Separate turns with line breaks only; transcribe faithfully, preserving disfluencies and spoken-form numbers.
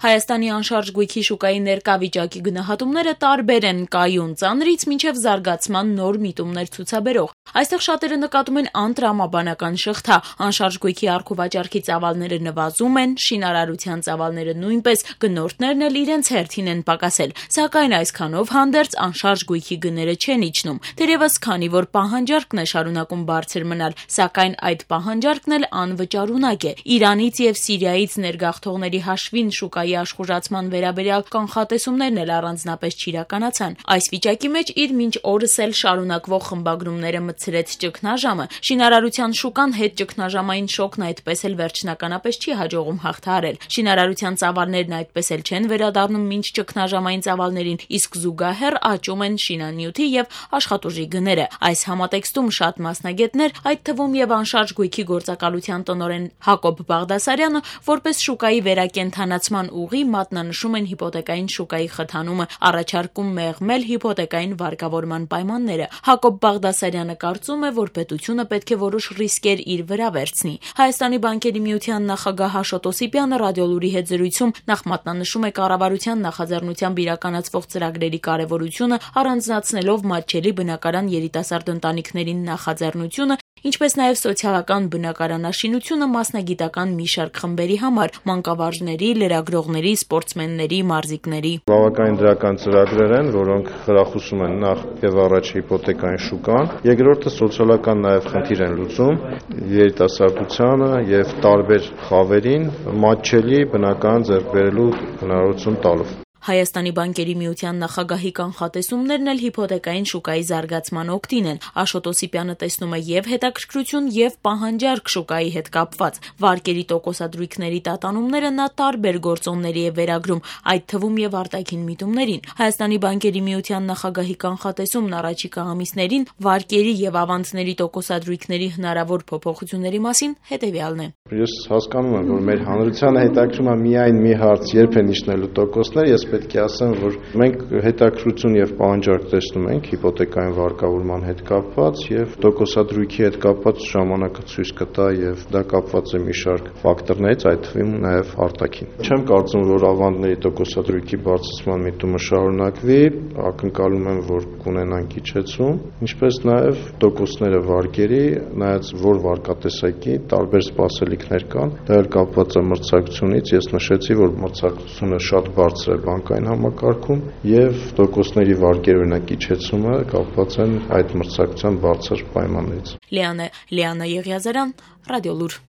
Հայաստանի անշարժ գույքի շուկայի ներկա վիճակի գնահատումները տարբեր են կայուն ծանրից մինչև զարգացման նոր միտումներ ցուցաբերող։ Այստեղ շատերը նկատում են անտրամաբանական շղթա, անշարժ գույքի առքուվաճառքի ծավալները նվազում են, շինարարության ծավալները նույնպես, գնորդներն էլ իրենց հերթին են պակասել, սակայն այսքանով հանդերձ անշարժ գույքի գները չեն իջնում, թերևս քանի որ պահանջարկն է շարունակում բարձր մնալ, սակայն այդ պահանջարկն էլ անվճարունակ է։ Իրանից եւ Սիրիայից ներգաղթողների հաշվին շուկայի աշխուժացման վերաբերյալ կանխատեսումներն էլ առանձնապես չիրականացան։ Այս վիճակի մեջ իր մինչ օրս էլ շարունակվող խմբագրումները մտցրեց ճգնաժամը։ Շինարարության շուկան հետ ճգնաժամային շոկն այդպես էլ վերջնականապես չի հաջողում հաղթահարել։ Շինարարության ծավալներն այդպես էլ չեն վերադառնում մինչ ճգնաժամային ծավալներին, իսկ զուգահեռ աճում են շինանյութի եւ աշխատուժի գները։ Այս համատեքստում շատ մասնագետներ, այդ թվում եւ անշարժ գույքի գործակալության տնօրեն Հակոբ Բաղդասարյանը, որպես շուկայի վերակենդանացման ուղի մատնանշում են հիպոթեկային շուկայի խթանումը, առաջարկում մեղմել հիպոթեկային վարկավորման պայմանները։ Հակոբ Բաղդասարյանը կարծում է, որ պետությունը պետք է որոշ ռիսկեր իր վրա վերցնի։ Հայաստանի բանկերի միության նախագահ Աշոտ Օսիպյանը Ռադիոլուրի հետ զրույցում նախ մատնանշում է կառավարության նախաձեռնությամբ իրականացվող ծրագրերի կարևորությունը, առանձնացնելով մատչելի բնակարան երիտասարդ ընտանիքներին նախաձեռնությունը, ինչպես նաև սոցիալական բնակարանաշինությունը մասնագիտական մի շարք խմբերի համար՝ մանկավարժների, լրագրողների, սպորտսմենների, մարզիկների։
Բավականին դրական ծրագրեր են, որոնք խրախուսում են նախ եւ առաջ հիպոթեկային շուկան, երկրորդը սոցիալական նաև խնդիր են լուծում երիտասարդությանը եւ տարբեր խավերին մատչելի բնակարան ձեռք բերելու հնարավորություն տալով։
Հայաստանի բանկերի միության նախագահի կանխատեսումներն էլ հիպոթեկային շուկայի զարգացման օգտին են։ Աշոտ Օսիպյանը տեսնում է եւ հետաքրքրություն եւ պահանջարկ շուկայի հետ կապված։ Վարկերի տոկոսադրույքների տատանումները նա տարբեր գործոնների է վերագրում, այդ թվում եւ արտաքին միտումներին։ Հայաստանի բանկերի միության նախագահի կանխատեսումն առաջիկա ամիսներին վարկերի եւ ավանցների տոկոսադրույքների հնարավոր փոփոխությունների մասին հետեւյալն է։
Ես հասկանում եմ, որ մեր հանրությանը հետաքրում է միայն մի հարց՝ երբ են իջնելու տոկոսները, ես պետք է ասեմ, որ մենք հետաքրքրություն եւ պահանջարկ տեսնում ենք հիպոթեկային վարկավորման հետ կապված եւ տոկոսադրույքի հետ կապված ժամանակը ցույց կտա եւ դա կապված է մի շարք ֆակտորներից, այդ թվում նաեւ արտաքին։ Չեմ կարծում, որ ավանդների տոկոսադրույքի բարձրացման միտումը շարունակվի, ակնկալում եմ, որ կունենանք իջեցում, ինչպես նաեւ տոկոսները վարկերի, նայած որ վարկատեսակի տարբեր սպասելիքներ կան, դա էլ կապված է մրցակցությունից, ես նշեցի, որ մրցակցությունը շատ բարձր է բանկային համակարգում եւ տոկոսների վարկերի օրինակ իջեցումը կապված են այդ մրցակցության բարձր պայմաններից։
Լիանա Լիանա Եղիազարյան, Ռադիոլուր։